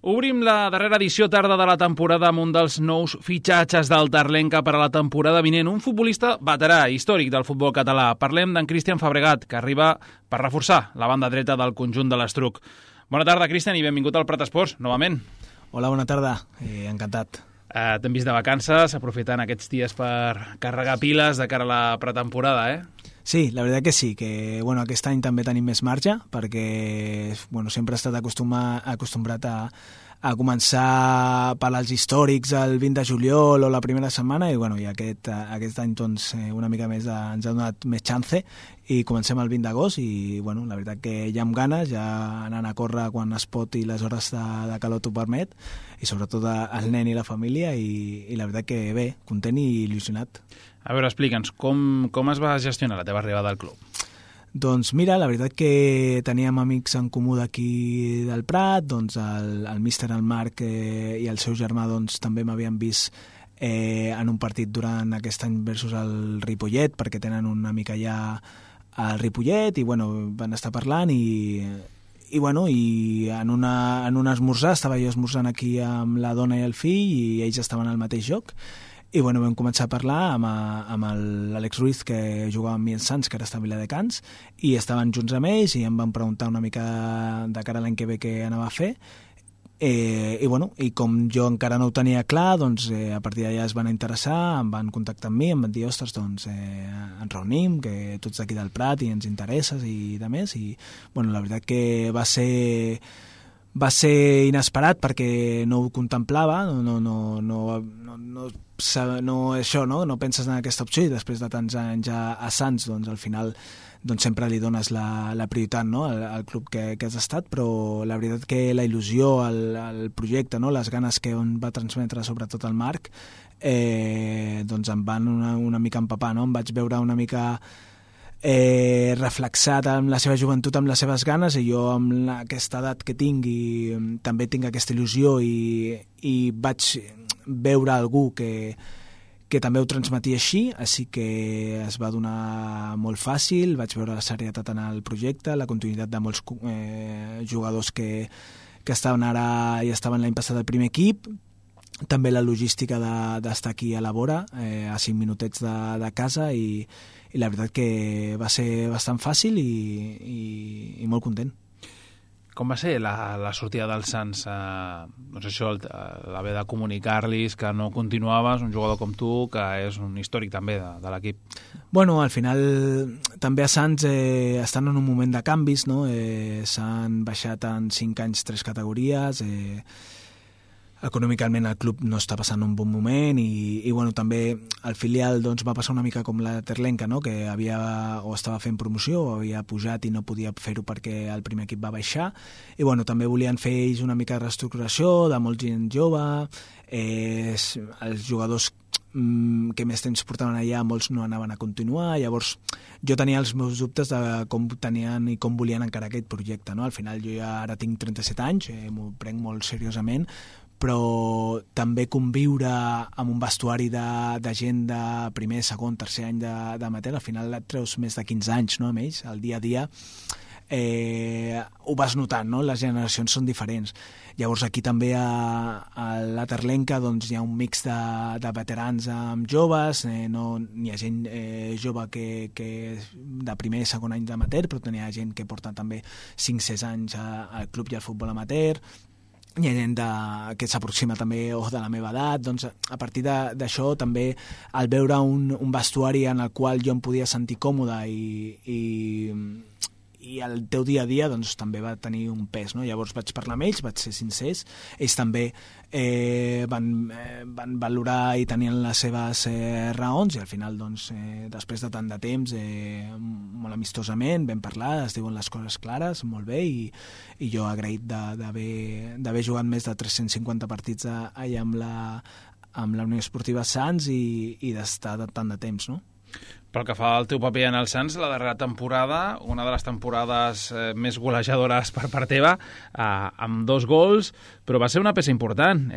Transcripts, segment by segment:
Obrim la darrera edició tarda de la temporada amb un dels nous fitxatges del Terlenca per a la temporada vinent, un futbolista veterà, històric del futbol català. Parlem d'en Cristian Fabregat, que arriba per reforçar la banda dreta del conjunt de l'Estruc. Bona tarda, Cristian, i benvingut al Prat Esports, novament. Hola, bona tarda. Encantat. T'hem vist de vacances, aprofitant aquests dies per carregar piles de cara a la pretemporada, Sí, la veritat que sí, que aquest any també tenim més marge, perquè sempre he estat acostumbrat a començar per als històrics el 20 de juliol o la primera setmana, i aquest any doncs, una mica més ens ha donat més chance i comencem el 20 d'agost i la veritat que ja amb ganes, ja anant a córrer quan es pot i les hores de calor t'ho permet, i sobretot el nen i la família, i la veritat que bé, content i il·lusionat. A veure, explica'ns, com es va gestionar la teva arribada al club? Doncs mira, la veritat que teníem amics en comú d'aquí del Prat, doncs el míster, el Marc i el seu germà doncs, també m'havien vist en un partit durant aquest any versus el Ripollet, perquè tenen una mica allà al Ripollet, i van estar parlant i en un esmorzar, estava jo esmorzant aquí amb la dona i el fill i ells estaven al mateix lloc. I vam començar a parlar amb l'Àlex Ruiz, que jugava amb mi en Sants, que ara està a Viladecans, i estaven junts amb ells i em van preguntar una mica de cara a l'any que ve què anava a fer. I com jo encara no ho tenia clar, doncs a partir d'allà es van interessar, em van contactar amb mi, em van dir, ostres, doncs ens reunim, que tu ets d'aquí del Prat i ens interesses i de més, i la veritat que va ser inesperat perquè no ho contemplava, no penses en aquesta opció, i després de tants anys a Sants, doncs al final sempre li dones la prioritat, no, al club que has estat, però la veritat que la il·lusió, el projecte, no, les ganes que va transmetre sobretot el Marc, doncs em van una mica empapar, no? Em vaig veure una mica reflexat amb la seva joventut, amb les seves ganes, i jo amb aquesta edat que tinc i també tinc aquesta il·lusió i vaig veure algú que també ho transmetia així que es va donar molt fàcil, vaig veure la serietat en el projecte, la continuïtat de molts jugadors que estaven ara i estaven l'any passat al primer equip, també la logística d'estar aquí a la vora, a 5 minutets de casa, i la veritat que va ser bastant fàcil i molt content. Com va ser la sortida del Sants? L'haver de comunicar-los que no continuaves, un jugador com tu, que és un històric també de l'equip? Al final també a Sants estan en un moment de canvis, no? S'han baixat en 5 anys 3 categories, econòmicament el club no està passant un bon moment i també el filial doncs, va passar una mica com la Terlenca, no? Que estava fent promoció o havia pujat i no podia fer-ho perquè el primer equip va baixar, i també volien fer ells una mica de reestructuració de molt gent jove, els jugadors que més temps portaven allà, molts no anaven a continuar, llavors jo tenia els meus dubtes de com tenien i com volien encarar aquest projecte, no? Al final jo ja ara tinc 37 anys, m'ho prenc molt seriosament, però també conviure amb un vestuari de gent de primer, segon, tercer any d'amateur, al final et treus més de 15 anys, no, amb ells, el dia a dia ho vas notant, no? Les generacions són diferents. Llavors aquí també a la Terlenca doncs, hi ha un mix de veterans amb joves, no n'hi ha gent jove que de primer i segon any d'amateur, però n'hi ha gent que porta també 5-6 anys al club i al futbol amateur, hi ha gent que s'aproxima també de la meva edat, doncs a partir d'això també al veure un vestuari en el qual jo em podia sentir còmode i el teu dia a dia doncs, també va tenir un pes, no? Llavors vaig parlar amb ells, vaig ser sincers, ells també van valorar i tenien les seves raons, i al final doncs, després de tant de temps molt amistosament vam parlar, es diuen les coses clares, molt bé, i jo agraït d'haver jugat més de 350 partits allà amb la Unió Esportiva Sants i d'estar tant de temps, no? Pel que fa al teu paper en el Sants, la darrera temporada, una de les temporades més golejadores per part teva, amb 2 gols, però va ser una peça important.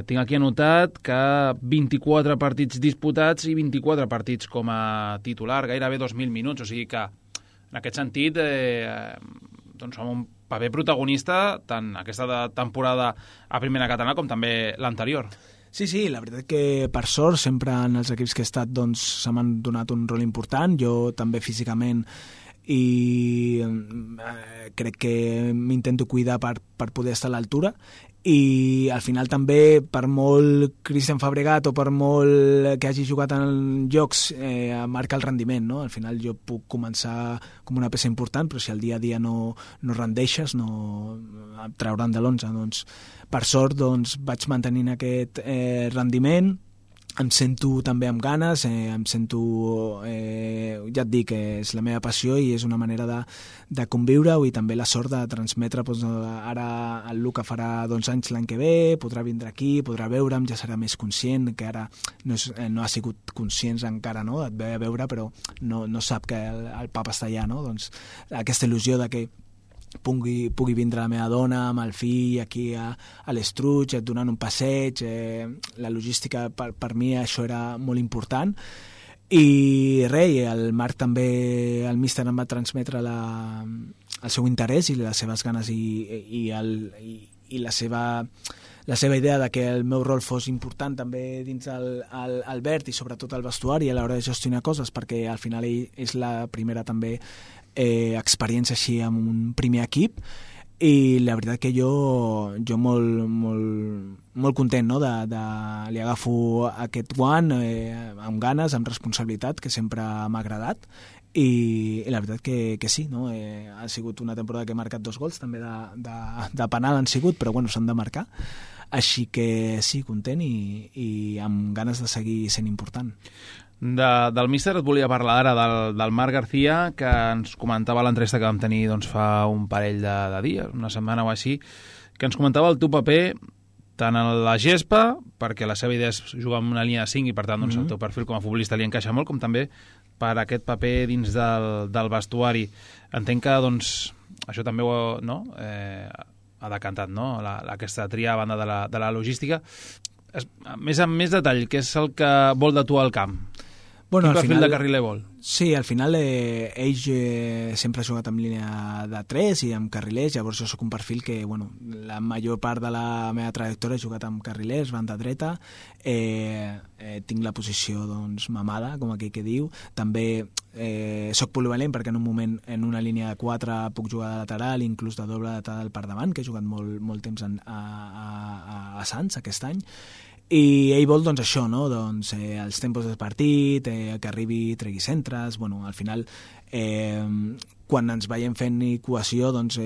Tinc aquí anotat que 24 partits disputats i 24 partits com a titular, gairebé 2.000 minuts, o sigui que en aquest sentit doncs, som paper protagonista tant aquesta temporada a primera catalana com també l'anterior. Sí, la veritat que per sort sempre en els equips que he estat doncs, se m'han donat un rol important, jo també físicament, i crec que m'intento cuidar per poder estar a l'altura, i al final també per molt Cristian Fabregat o per molt que hagi jugat en jocs marca el rendiment, no? Al final jo puc començar com una peça important, però si el dia a dia no rendeixes, no et trauran de l'11. Doncs, per sort doncs, vaig mantenint aquest rendiment, em sento també amb ganes, em sento, ja et dic, és la meva passió i és una manera de conviure-ho, i també la sort de transmetre, doncs, ara el Luca farà 12 anys l'any que ve, podrà vindre aquí, podrà veure'm, ja serà més conscient, que ara no ha sigut conscient encara, no? Et ve a veure però no sap que el papa està allà, no? Doncs aquesta il·lusió de que pugui vindre la meva dona amb el fill aquí a l'Estruig, donant un passeig, la logística per mi això era molt important, i res, el Marc també, el míster em va transmetre el seu interès i les seves ganes i la seva idea de que el meu rol fos important també dins el verd i sobretot el vestuari a l'hora de gestionar coses, perquè al final és la primera també experiència així amb un primer equip, i la veritat que jo molt content, no? Li agafo aquest guant amb ganes, amb responsabilitat, que sempre m'ha agradat, i la veritat que sí, no? Ha sigut una temporada que he marcat 2 gols, també de penal han sigut, però bueno, s'han de marcar, així que sí, content i amb ganes de seguir sent important. Del míster et volia parlar ara del Marc García, que ens comentava a l'entrevista que vam tenir doncs, fa un parell de dies, una setmana o així, que ens comentava el teu paper tant a la gespa, perquè la seva idea és jugar en una línia de 5 i per tant doncs, el teu perfil com a futbolista li encaixa molt, com també per aquest paper dins del vestuari. Entenc que doncs, això també ha decantat, no? Aquesta tria a banda de la logística. Més amb més detall, què és el que vol de tu al camp? Bueno, quin perfil de carriler vol? Sí, al final ell sempre ha jugat en línia de 3 i amb carrilers, llavors jo soc un perfil que, bueno, la major part de la meva trajectòria he jugat amb carrilers, banda dreta, tinc la posició doncs mamada, com aquell que diu, també soc polivalent perquè en un moment en una línia de 4 puc jugar de lateral, inclús de doble lateral per davant, que he jugat molt temps a Sants aquest any, i ell vol doncs això, no? Doncs els tempos del partit, que arribi, tregui centres, bueno, al final quan ens veiem fent cohesió doncs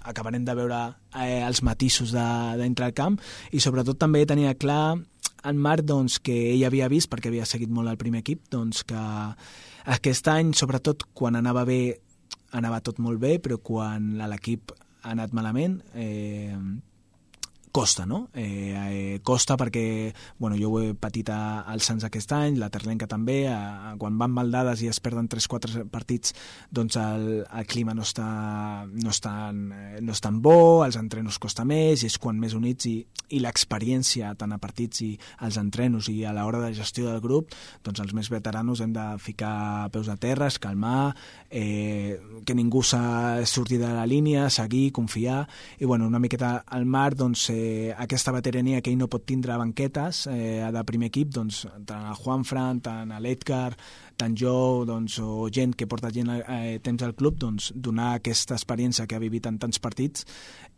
acabarem de veure els matisos d'entre el camp, i sobretot també tenia clar en Marc doncs, que ell havia vist, perquè havia seguit molt el primer equip, doncs que aquest any, sobretot quan anava bé, anava tot molt bé, però quan l'equip ha anat malament costa, no? Costa perquè, bueno, jo ho he patit al Sants aquest any, la Terlenca també, quan van mal dades i es perden 3-4 partits, doncs el clima no és tan bo, els entrenos costa més, i és quan més units, i l'experiència tant a partits i als entrenos i a l'hora de gestió del grup, doncs els més veteranos hem de ficar peus a terra, calmar, que ningú surti de la línia, seguir, confiar, i bueno, una miqueta al Marc, doncs aquesta veterania que ell no pot tindre a banquetes de primer equip, doncs tant el Juanfran, tant l'Edgar, tant jo, doncs, o gent que porta temps al club, doncs donar aquesta experiència que ha vivit en tants partits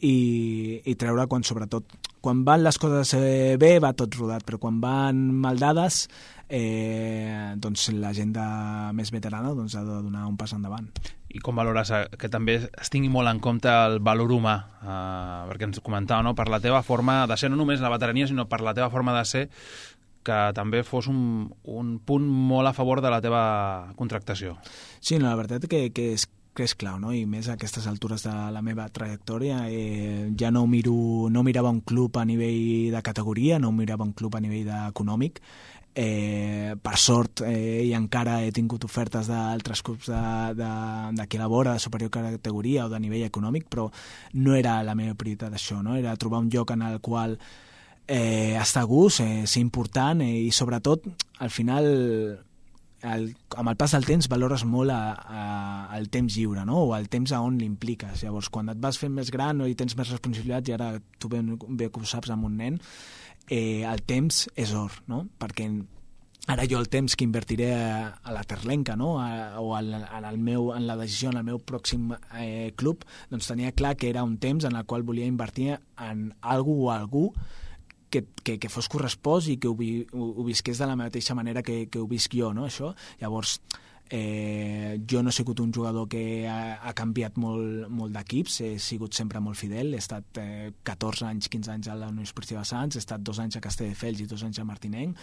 i treure sobretot quan van les coses bé va tot rodat, però quan van mal dades doncs la gent més veterana doncs, ha de donar un pas endavant. I com valores que també es tingui molt en compte el valor humà, perquè ens comentava, no? Per la teva forma de ser, no només la veterania, sinó per la teva forma de ser, que també fos un punt molt a favor de la teva contractació. Sí, no, la veritat que és clau, no? I més a aquestes altures de la meva trajectòria, ja no mirava un club a nivell de categoria, no mirava un club a nivell econòmic. Per sort i encara he tingut ofertes d'altres clubs d'aquí a la vora, de superior categoria o de nivell econòmic, però no era la meva prioritat això, no? Era trobar un lloc en el qual estar a gust, ser important, i sobretot al final amb el pas del temps valores molt el temps lliure, no? O el temps a on l'impliques. Llavors, quan et vas fent més gran i tens més responsabilitats, i ara tu bé que ho saps amb un nen, el temps és or, no? Perquè ara jo el temps que invertiré a la Terlenca, no? O en la decisió en el meu pròxim club, doncs tenia clar que era un temps en el qual volia invertir en algú o algú que fos correspost i que ho visqués de la mateixa manera que ho visc jo, no? Això. Llavors, jo no he sigut un jugador que ha canviat molt d'equips, he sigut sempre molt fidel, he estat 14 anys, 15 anys a la Unió Esportiva Sants, he estat 2 anys a Castelldefels i 2 anys a Martinenc,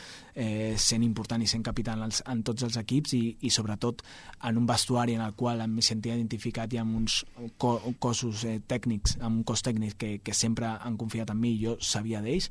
sent important i sent capità en tots els equips i sobretot en un vestuari en el qual em sentia identificat i amb uns cossos tècnics, amb un cos tècnic que sempre han confiat en mi i jo sabia d'ells,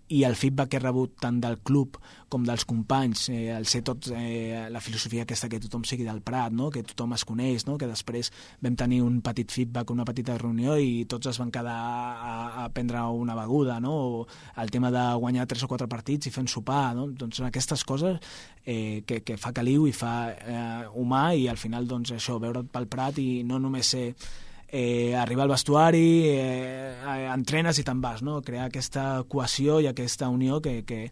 i el feedback que he rebut tant del club com dels companys, el ser tot la filosofia aquesta que tothom sigui del Prat, no? Que tothom es coneix, no? Que després vam tenir un petit feedback, una petita reunió i tots es van quedar a prendre una beguda, no? O el tema de guanyar 3 o 4 partits i fer un sopar, no? Doncs aquestes coses que fa caliu i fa humà, i al final doncs això, veure't pel Prat i no només ser arribar al vestuari, entrenes i te'n vas, no? Crear aquesta cohesió i aquesta unió que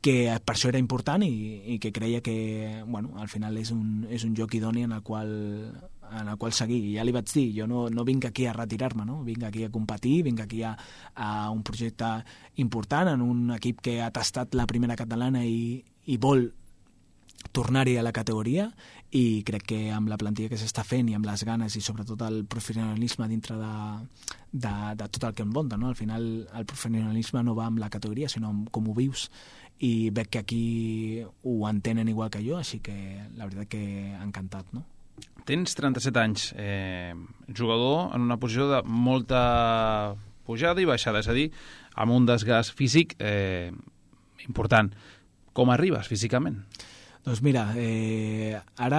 per això era important i que creia que, bueno, al final és un joc idoni en el qual seguir. I ja li vaig dir, jo no vinc aquí a retirar-me, no? Vinc aquí a competir, vinc aquí a un projecte important, en un equip que ha tastat la primera catalana i vol tornar-hi a la categoria, i crec que amb la plantilla que s'està fent i amb les ganes i sobretot el professionalisme dintre de tot el que envolta, no? Al final el professionalisme no va amb la categoria sinó amb com ho vius, i veig que aquí ho entenen igual que jo, així que la veritat que encantat, no? Tens 37 anys, jugador en una posició de molta pujada i baixada, és a dir, amb un desgast físic important. Com arribes físicament? Doncs mira, ara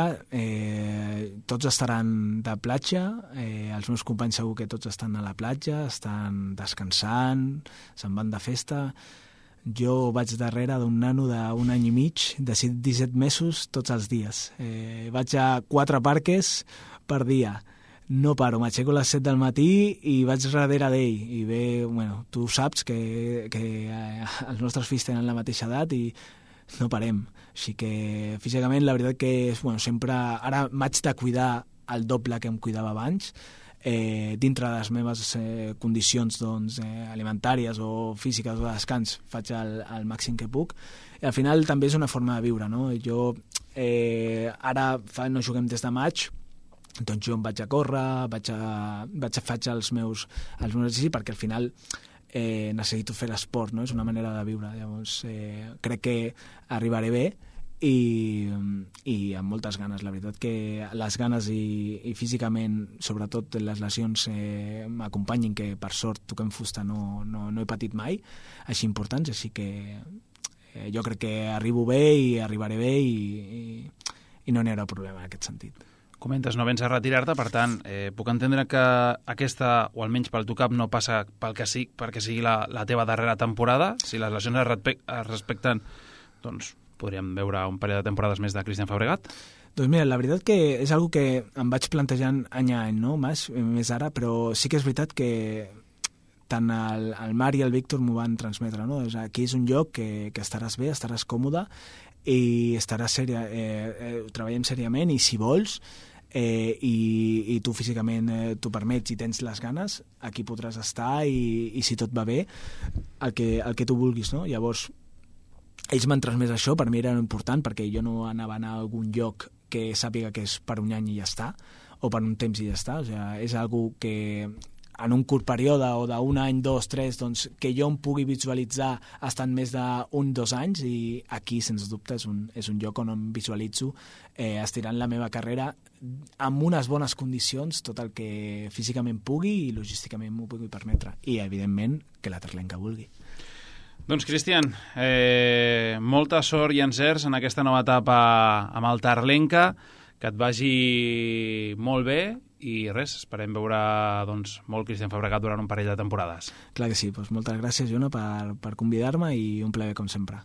tots estaran de platja, els meus companys segur que tots estan a la platja, estan descansant, se'n van de festa. Jo vaig darrere d'un nano d'un any i mig, de 17 mesos, tots els dies. Vaig a 4 parques per dia. No paro, m'aixeco a les 7 del matí i vaig darrere d'ell. I bé, bueno, tu saps que els nostres fills tenen la mateixa edat i no parem. Així que físicament la veritat que sempre ara m'haig de cuidar el doble que em cuidava abans, dintre de les meves condicions alimentàries o físiques o de descans faig el màxim que puc, i al final també és una forma de viure, no? Jo ara no juguem des de maig, doncs jo em vaig a córrer, faig els meus exercicis, perquè al final necessito fer l'esport, no? És una manera de viure. Llavors crec que arribaré bé i amb moltes ganes. La veritat que les ganes i físicament, sobretot les lesions m'acompanyin, que per sort toquem fusta no he patit mai així importants, així que jo crec que arribo bé i arribaré bé i no n'hi haurà problema en aquest sentit. Comentes, no vens a retirar-te, per tant, puc entendre que aquesta, o almenys pel teu cap, no passa perquè sigui la teva darrera temporada. Si les lesions es respecten, doncs podríem veure un parell de temporades més de Cristian Fabregat? Doncs mira, la veritat que és una que em vaig plantejant any a any, no? Més ara, però sí que és veritat que tant el Marc i el Víctor m'ho van transmetre, no? Aquí és un lloc que estaràs bé, estaràs còmode i estaràs treballant seriament, i si vols i tu físicament t'ho permets i tens les ganes, aquí podràs estar i si tot va bé, el que tu vulguis, no? Llavors ells m'han transmès això, per mi era important, perquè jo no anava a anar a algun lloc que sàpiga que és per un any i ja està, o per un temps i ja està. O sigui, és algo que en un curt període o d'un any, 2, 3, doncs, que jo em pugui visualitzar estant més d'un, 2 anys, i aquí, sens dubte, és un lloc on em visualitzo estirant la meva carrera amb unes bones condicions, tot el que físicament pugui i logísticament m'ho pugui permetre. I, evidentment, que la Terlenca vulgui. Doncs, Cristian, molta sort i encerts en aquesta nova etapa amb el Terlenca, que et vagi molt bé, i res, esperem veure molt Cristian Fabregat durant un parell de temporades. Clar que sí, doncs moltes gràcies, Jona, per convidar-me, i un plaer com sempre.